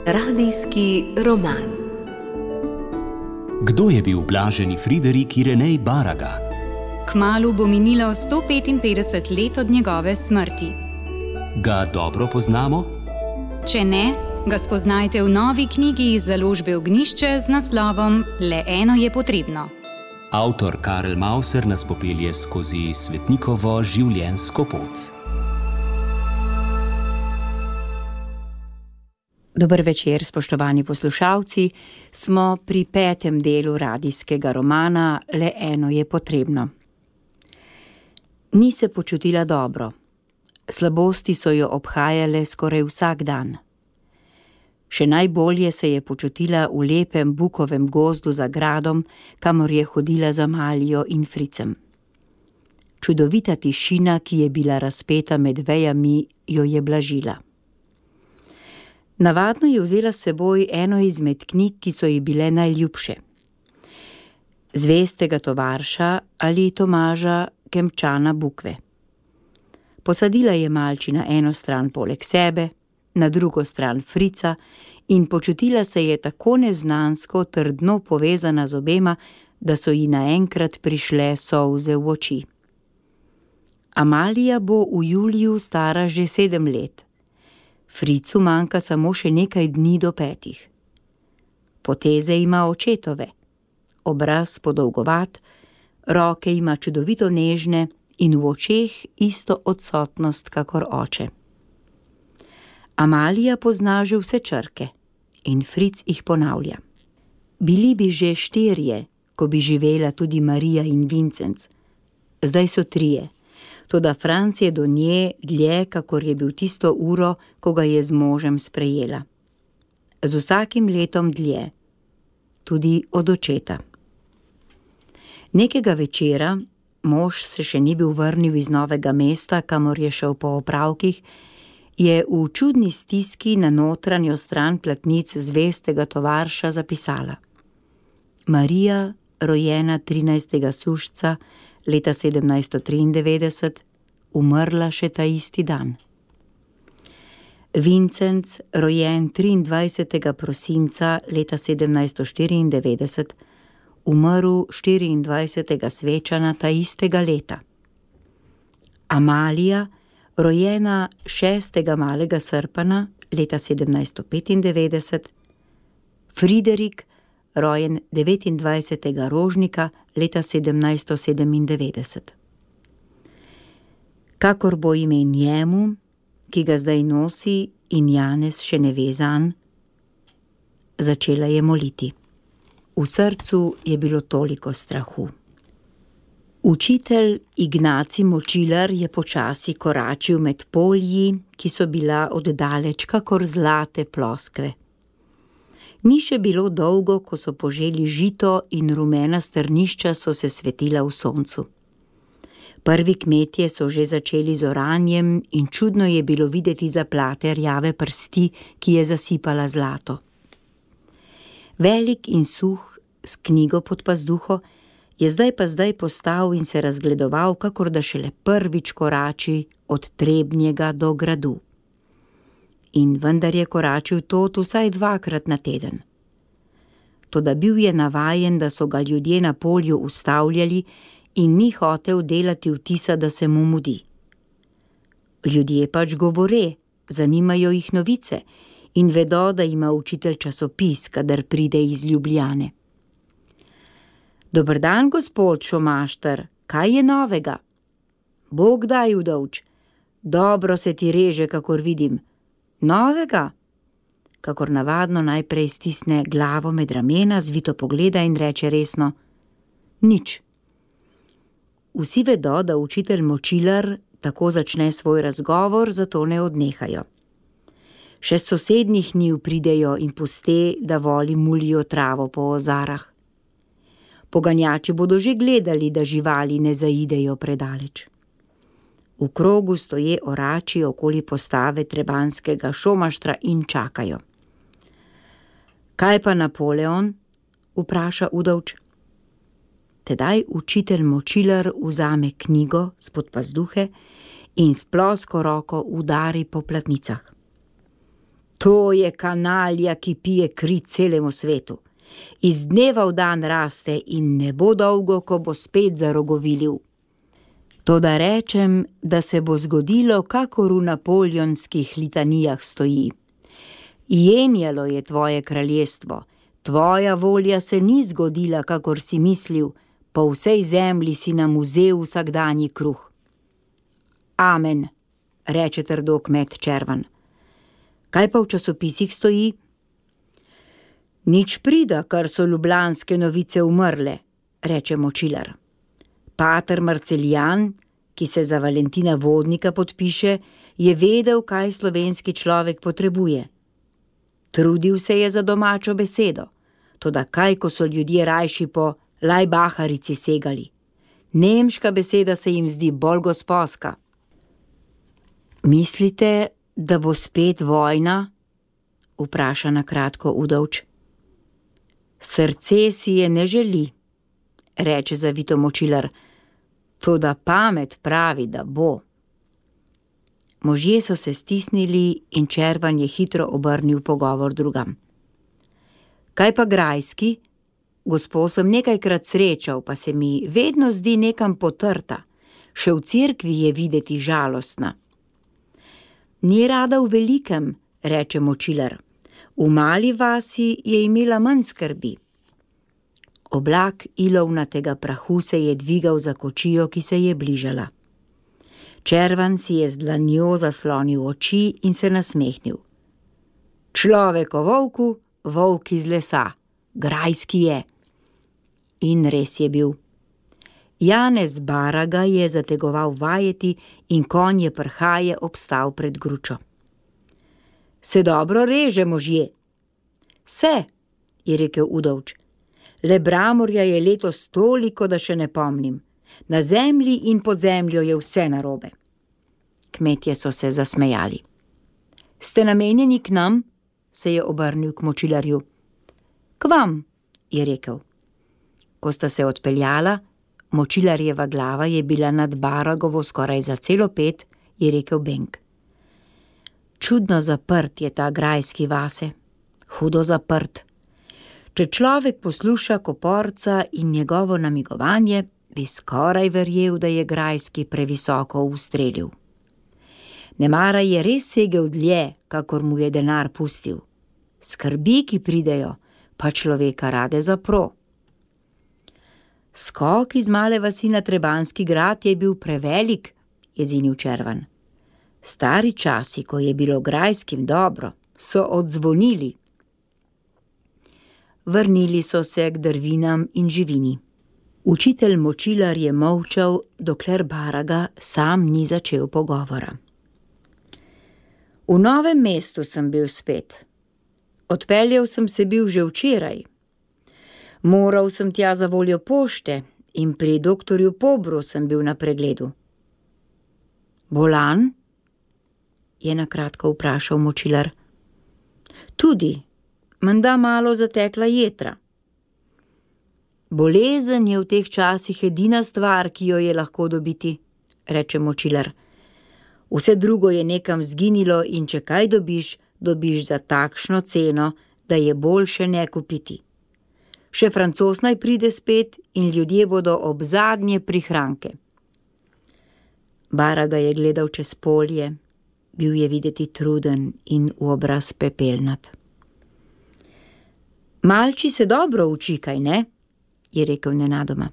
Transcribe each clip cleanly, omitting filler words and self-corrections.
Radijski roman. Kdo je bil blaženi Friderik Irenej Baraga? Kmalu bo minilo 155 let od njegove smrti. Ga dobro poznamo? Če ne, ga spoznajte v novi knjigi iz založbe Ognjišče z naslovom Le eno je potrebno. Avtor Karel Mauser nas popelje skozi svetnikovo življenjsko pot. Dober večer, spoštovani poslušalci. Smo pri 5. delu radijskega romana Le eno je potrebno. Ni se počutila dobro. Slabosti so jo obhajale skoraj vsak dan. Še najbolje se je počutila v lepem bukovem gozdu za gradom, kamor je hodila za Malijo in Fricem. Čudovita tišina, ki je bila razpeta med vejami, jo je blažila. Navadno je vzela s seboj eno izmed knjig, ki so ji bile najljubše. Zvestega tovarša ali Tomaža Kemčana Bukve. Posadila je malči na eno stran poleg sebe, na drugo stran Frica in počutila se je tako neznansko trdno povezana z obema, da so ji naenkrat prišle solze v oči. Amalija bo v juliju stara že 7 let. Fricu manjka samo še nekaj dni do 5. Poteze ima očetove, obraz podolgovat, roke ima čudovito nežne in v očeh isto odsotnost kakor oče. Amalija pozna že vse črke in Fric jih ponavlja. Bili bi že 4, ko bi živela tudi Marija in Vincenc. Zdaj so 3, toda Franc je do nje dlje, kakor je bil tisto uro, ko ga je z možem sprejela. Z vsakim letom dlje, tudi od očeta. Nekega večera, mož se še ni bil vrnil iz Novega mesta, kamor je šel po opravkih, je v čudni stiski na notranjo stran platnic zvestega tovarša zapisala: Marija, rojena 13. sušca leta 1793, umrla še ta isti dan. Vincenc, rojen 23. prosinca leta 1794, umrl 24. svečana ta istega leta. Amalija, rojena 6. malega srpana leta 1795, Friderik, rojen 29. rožnika leta 1797. Kakor bo ime njemu, ki ga zdaj nosi in Janez še ne ve zanj, začela je moliti. V srcu je bilo toliko strahu. Učitelj Ignacij Močilar je počasi koračil med polji, ki so bila oddaleč kakor zlate ploskve. Ni še bilo dolgo, ko so poželi žito in rumena strnišča so se svetila v soncu. Prvi kmetje so že začeli z oranjem in čudno je bilo videti zaplate rjave prsti, ki je zasipala zlato. Velik in suh, s knjigo pod pazduho, je zdaj postal in se razgledoval, kakor da šele prvič korači od Trebnjega do gradu. In vendar je koračil tot vsaj 2-krat na teden. Toda bil je navajen, da so ga ljudje na polju ustavljali in ni hotel delati vtisa, da se mu mudi. Ljudje pač govore, zanimajo jih novice in vedo, da ima učitelj časopis, kadar pride iz Ljubljane. Dober dan, gospod Šomašter, kaj je novega? Bog daj, udovč, dobro se ti reže, kakor vidim. Novega? Kakor navadno najprej stisne glavo med ramena, zvito pogleda in reče resno: nič. Vsi vedo, da učitelj Močilar tako začne svoj razgovor, zato ne odnehajo. Še s sosednjih njiv pridejo in puste, da voli mulijo travo po ozarah. Poganjači bodo že gledali, da živali ne zaidejo predaleč. V krogu stoje orači okoli postave trebanskega Šomaštra in čakajo. Kaj pa Napoleon? Vpraša udovč. Tedaj učitelj Močilar vzame knjigo spod pazduhe in s plosko roko udari po platnicah. To je kanalja, ki pije kri celemu svetu. Iz dneva v dan raste in ne bo dolgo, ko bo spet zarogovilil. Toda rečem, da se bo zgodilo, kakor v napoleonskih litanijah stoji. Jenjalo je tvoje kraljestvo, tvoja volja se ni zgodila, kakor si mislil, po vsej zemlji si nam vzel vsakdanji kruh. Amen, reče trdo kmet Červan. Kaj pa v časopisih stoji? Nič prida, kar so ljubljanske novice umrle, reče Močilar. Pater Marceljan, ki se za Valentina Vodnika podpiše, je vedel, kaj slovenski človek potrebuje. Trudil se je za domačo besedo, toda kaj, ko so ljudje rajši po lajbaharici segali. Nemška beseda se jim zdi bolj gosposka. Mislite, da bo spet vojna? Vpraša na kratko Udovč. Srce si je ne želi, reče zavito Močilar, toda pamet pravi, da bo. Možje so se stisnili in Červan je hitro obrnil pogovor drugam. Kaj pa Grajski? Gospo sem nekajkrat srečal, pa se mi vedno zdi nekam potrta. Še v cerkvi je videti žalostna. Ni rada v velikem, reče Močilar. V mali vasi je imela manj skrbi. Oblak ilovnatega prahu se je dvigal za kočijo, ki se je bližala. Červan si je z dlanjo zaslonil oči in se nasmehnil. Človek o volku, volk iz lesa, Grajski je. In res je bil. Janez Baraga je zategoval vajeti in konj je prhaje obstal pred gručo. Se dobro reže, možje? Se, je rekel Udovč. Le Bramorja je letos toliko, da še ne pomnim. Na zemlji in pod zemljo je vse narobe. Kmetje so se zasmejali. Ste namenjeni k nam? Se je obrnil k Močilarju. K vam, je rekel. Ko sta se odpeljala, Močilarjeva glava je bila nad Baragovo skoraj za celo 5, je rekel Benk. Čudno zaprt je ta Grajski vase, hudo zaprt. Če človek posluša Koporca in njegovo namigovanje, bi skoraj verjel, da je Grajski previsoko ustrelil. Nemara je res segel dlje, kakor mu je denar pustil. Skrbi, ki pridejo, pa človeka rade zapro. Skok iz male vasi na Trebanjski grad je bil prevelik, je zinil Červan. Stari časi, ko je bilo Grajskim dobro, so odzvonili. Vrnili so se k drvinam in živini. Učitelj Močilar je molčal, dokler Baraga sam ni začel pogovora. V Novem mestu sem bil spet. Odpeljal sem se bil že včeraj. Moral sem tja za voljo pošte in pri doktorju Pobru sem bil na pregledu. Bolan? Je na kratko vprašal Močilar. Tudi, menda malo zatekla jetra. Bolezen je v teh časih edina stvar, ki jo je lahko dobiti, reče Močilar. Vse drugo je nekam zginilo in če kaj dobiš, dobiš za takšno ceno, da je boljše ne kupiti. Še Francoz naj pride spet in ljudje bodo ob zadnje prihranke. Baraga je gledal čez polje, bil je videti truden in v obraz pepelnat. Malči se dobro uči, kaj ne? Je rekel nenadoma.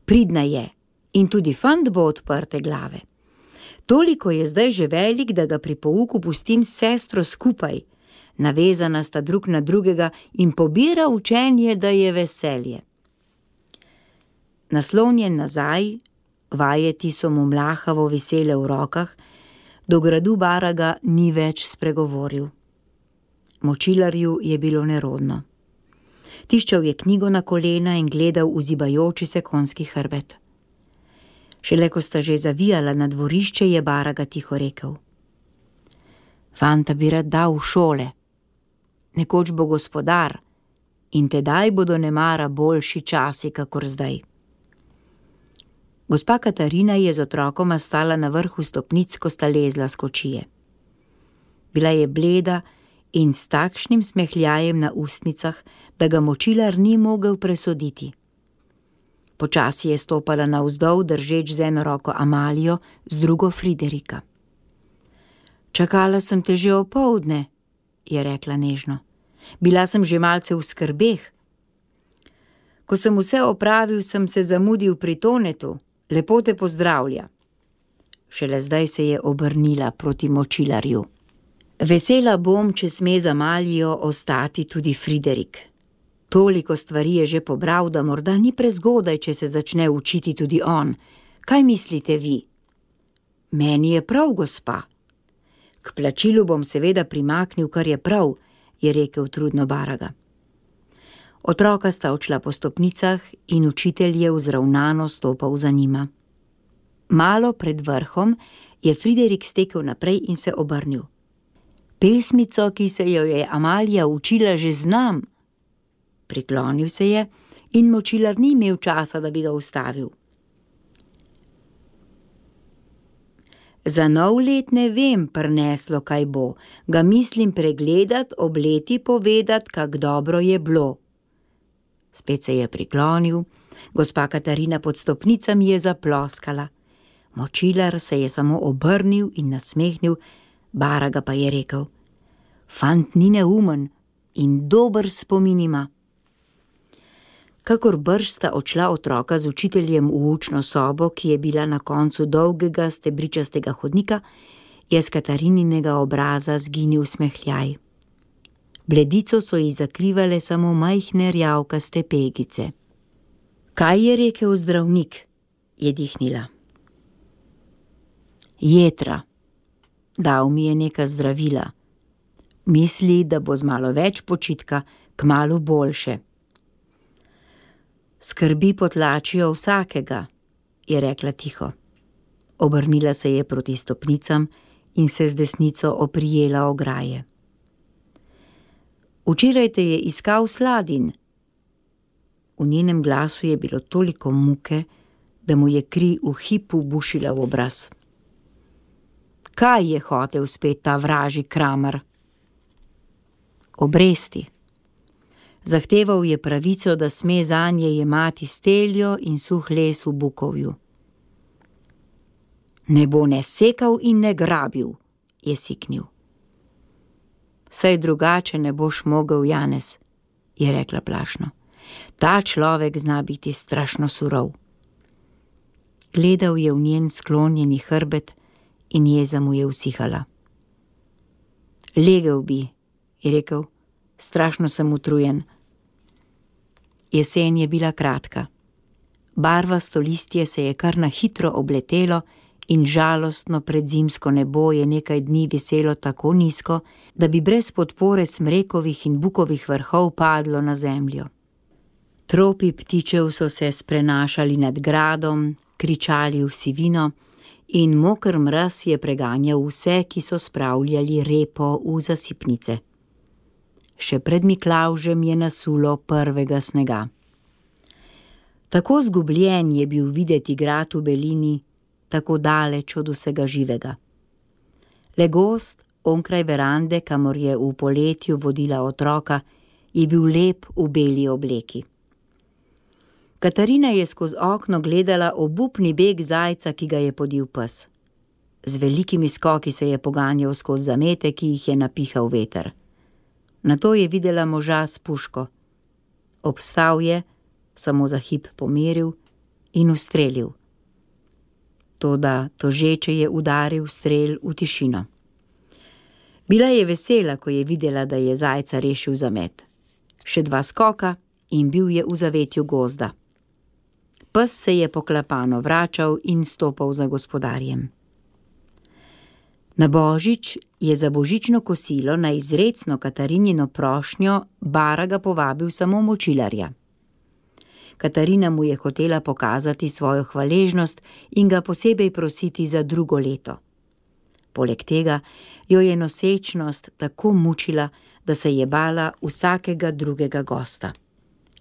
Pridna je in tudi fant bo odprte glave. Toliko je zdaj že velik, da ga pri pouku pustim s sestro skupaj. Navezana sta drug na drugega in pobira učenje, da je veselje. Naslonjen nazaj, vajeti so mu mlahavo visele v rokah, do gradu Baraga ni več spregovoril. Močilarju je bilo nerodno. Tiščal je knjigo na kolena in gledal v zibajoči se konjski hrbet. Šele ko sta že zavijala na dvorišče, je Baraga tiho rekel. Fanta bi rad dal v šole. Nekoč bo gospodar in tedaj bodo nemara boljši časi, kakor zdaj. Gospa Katarina je z otrokoma stala na vrhu stopnic, ko sta lezla s kočije. Bila je bleda in s takšnim smehljajem na ustnicah, da ga močilar ni mogel presoditi. Počasi je stopala navzdol, držeč z eno roko Amalijo, z drugo Friderika. Čakala sem te že opoldne, je rekla nežno. Bila sem že malce v skrbeh. Ko sem vse opravil, sem se zamudil pri Tonetu. Lepo te pozdravlja. Šele zdaj se je obrnila proti močilarju. Vesela bom, če sme z Amalijo ostati tudi Friderik. Toliko stvari je že pobral, da morda ni prezgodaj, če se začne učiti tudi on. Kaj mislite vi? Meni je prav, gospa. K plačilu bom seveda primaknil, kar je prav, je rekel trudno Baraga. Otroka sta odšla po stopnicah in učitelj je vzravnano stopal za njima. Malo pred vrhom je Friderik stekel naprej in se obrnil. Pesmico, ki se jo je Amalija učila, že znam. Priklonil se je in močilar ni imel časa, da bi ga ustavil. Za nov let ne vem prineslo, kaj bo. Ga mislim pregledat, ob leti povedat, kak dobro je bilo. Spet se je priklonil, gospa Katarina pod stopnicami je zaploskala. Močilar se je samo obrnil in nasmehnil, Baraga pa je rekel: Fant ni neumen in dober spomin ima. Kakor brž sta odšla otroka z učiteljem v učno sobo, ki je bila na koncu dolgega stebričastega hodnika, je s Katarinинega obraza zginil smehljaj. Bledico so ji zakrivale samo majhne rjavkaste pegice. Kaj je rekel zdravnik? Je dihnila. Jetra. Dal mi je neka zdravila. Misli, da bo z malo več počitka kmalu boljše. Skrbi potlačijo vsakega, je rekla tiho. Obrnila se je proti stopnicam in se z desnico oprijela ograje. Včeraj te je iskal Sladin. V njenem glasu je bilo toliko muke, da mu je kri v hipu bušila v obraz. Kaj je hotel spet ta vražji Kramer? Obresti. Zahteval je pravico, da sme zanje jemati steljo in suh les v Bukovju. Ne bo ne sekal in ne grabil, je siknil. Saj drugače ne boš mogel, Janez, je rekla plašno. Ta človek zna biti strašno surov. Gledal je v njen sklonjeni hrbet in jeza mu je usihala. Legel bi, je rekel, strašno sem utrujen. Jesen je bila kratka. Barvasto listje se je kar na hitro obletelo in žalostno predzimsko nebo je nekaj dni viselo tako nizko, da bi brez podpore smrekovih in bukovih vrhov padlo na zemljo. Tropi ptičev so se sprenašali nad gradom, kričali v sivino in moker mraz je preganjal vse, ki so spravljali repo v zasipnice. Še pred Miklavžem je nasulo prvega snega. Tako zgubljen je bil videti grad v belini, tako daleč od vsega živega. Le gozd onkraj verande, kamor je v poletju vodila otroka, je bil lep v beli obleki. Katarina je skozi okno gledala obupni beg zajca, ki ga je podil pes. Z velikimi skoki se je poganjal skozi zamete, ki jih je napihal veter. Nato je videla moža s puško. Obstal je, samo za hip pomeril in ustrelil. Toda tožeče je udaril strel v tišino. Bila je vesela, ko je videla, da je zajca rešil zamet. Še 2 skoka in bil je v zavetju gozda. Pes se je poklapano vračal in stopal za gospodarjem. Na Božič je za božično kosilo na izrecno Katarinino prošnjo Baraga povabil samo močilarja. Katarina mu je hotela pokazati svojo hvaležnost in ga posebej prositi za drugo leto. Poleg tega jo je nosečnost tako mučila, da se je bala vsakega drugega gosta.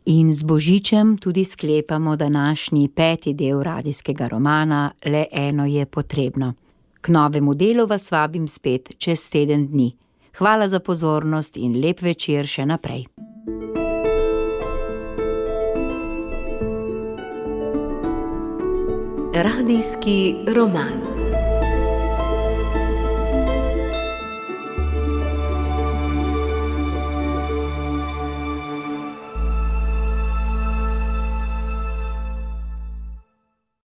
In z božičem tudi sklepamo današnji 5. del radijskega romana Le eno je potrebno. K novemu delu vas vabim spet čez teden dni. Hvala za pozornost in lep večer še naprej. Radijski roman.